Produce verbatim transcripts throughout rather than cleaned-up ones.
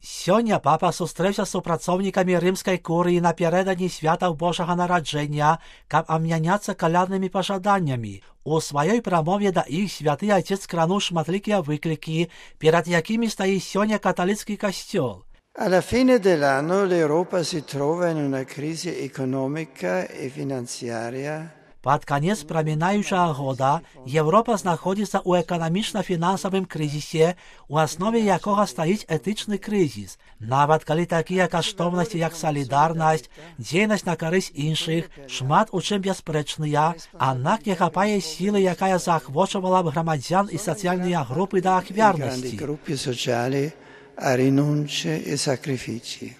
Сёння папа сустрэўся з супрацоўнікамі рымскай курыі напярэдадні святаў Божага нараджэння, каб абмяняцца каляднымі пажаданнямі. У сваёй прамове да іх святы Отец крануў шматлікія выклікі, перад якімі стаіць сёння каталіцкі касцёл. Alla fine dell'anno l'Europa si trova in una crisi economica e finanziaria. Пад канец прамінаючага года Еўропа знаходзіцца ў эканамічна-фінансавым крызісе, у аснове якога стаіць этычны крызіс. Нават калі такія каштоўнасці, як салідарнасць, дзейнасць на карысць іншых, шмат у чым бясспрэчныя, аднак не хапае сілы, якая заахвочвала б грамадзян і сацыяльныя групы да ахвярнасці. A rinunce e sacrifici.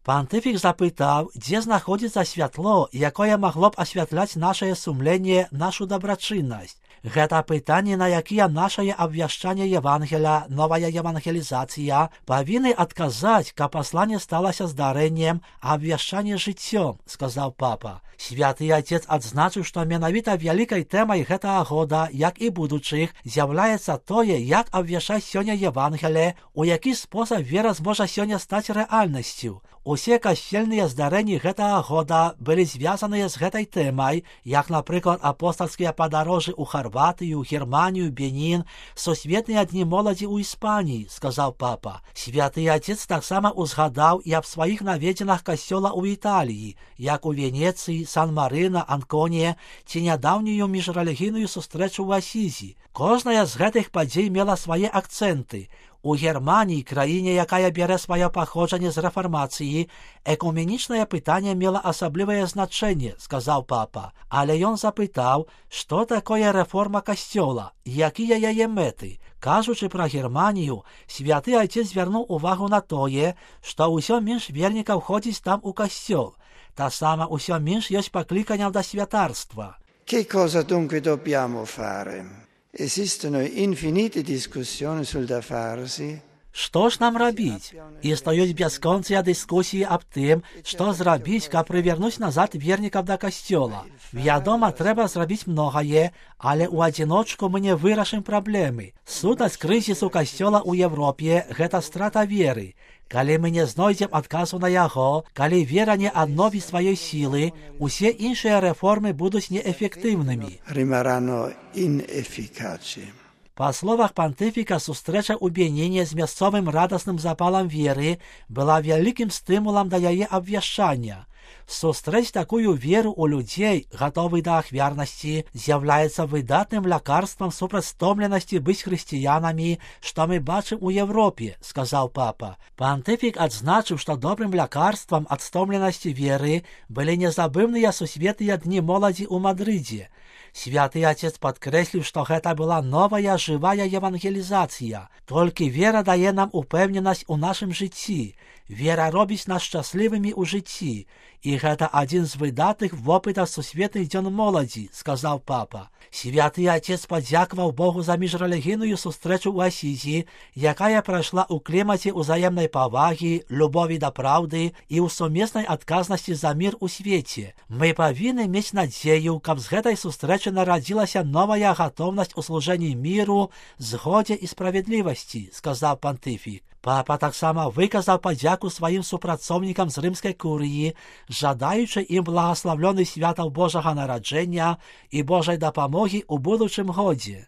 Пантыфік запытаў, дзе знаходзіцца святло, якое магло б асвятляць нашае сумленне, нашу дабрачыннасць. Гэта пытанне, на якія нашае абвяшчанне Евангеля, новая евангелізацыя, павінны адказаць, каб пасланне сталася здарэннем, а абвяшчанне жыццём, сказаў папа. Святы Отец адзначыў, што менавіта вялікай тэмай гэтага года, як і будучых, з'яўляецца тое, як абвяшчаць сёння Евангеле, у які спосаб вера зможа сёння стаць рэальнасцю. Усе касцельныя здарэнні гэтага года былі звязаныя з гэтай тэмай, як, напрыклад, апостальскія падарожжы ў Харватыю, Германію, Бенін, сусветныя дні моладзі ў Іспаніі, сказаў папа. Святы Отец таксама узгадаў і аб сваіх наведзінах касцёла ў Італіі, як у Венецыі, Сан-Марына, Анконе, ці нядаўнюю міжрэлігійную сустрэчу ў Асізі. Кожная з гэтых падзей мела свае акцэнты. У Германії, краіне, якая бярэ сваё паходжанне з рэфармацыі, экуменічнае пытанне мела асаблівае значэнне, сказаў папа. Але ён запытаў, што такое рэформа касцёла, якія яе мэты. Кажучы пра Германію, святы Отец звярнуў увагу на тое, што ўсё менш вернікаў ходзіць там у касцёл. Таксама ўсё менш ёсць пакліканняў да святарства. Che cosa dunque dobbiamo fare? Esistono infinite discussioni sul da farsi. Што ж нам рабіць? Існуюць бясконцыя дыскусіі аб тым, што зрабіць, каб прывярнуць назад вернікаў да касцёла. Вядома, трэба зрабіць многае, але ў адзіночку мы не вырашым праблемы. Сутнасць крызісу касцёла ў Европе – гэта страта веры. Калі мы не знойдзем адказу на яго, калі вера не адновіць сваёй сілы, усе іншыя рэформы будуць неэфектыўнымі. Rimarranno inefficaci. Па словах пантыфіка, сустрэча ў Беніне з мясцовым радасным запалам веры была вялікім стымулам да яе абвяшчання. Сустрэць такую веру ў людзей, гатовых да ахвярнасці, з'яўляецца выдатным лякарствам супраць стомленасці быць хрысціянамі, што мы бачым у Европе, сказаў папа. Пантыфік адзначыў, што добрым лякарствам ад стомленасці веры былі незабыўныя сусветныя дні моладзі ў Мадрыдзе. Святы Отец падкрэсліў, што гэта была новая жывая евангелізацыя. Толькі вера дае нам упэўненасць у нашым жыцці. Вера робіць нас шчаслівымі ў жыцці. І гэта адзін з выдатных вопытаў сусветных дзён моладзі, сказаў папа. Святы Отец падзякаваў Богу за міжрэлігійную сустрэчу ў Асізі, якая прайшла ў клімаце ўзаемнай павагі, любові да праўды і ў сумеснай адказнасці за мір у свеце. Мы павінны мець надзею, каб з гэтай сустрэчы нарадзілася новая гатоўнасць у служэнні міру, згодзе і справядлівасці, сказаў пантыфік. Папа таксама выказаў падзяку сваім супрацоўнікам з рымскай курыі, жадаючы ім благаславлёных святаў Божага нараджэння і Божай дапамогі ў будучым годзе.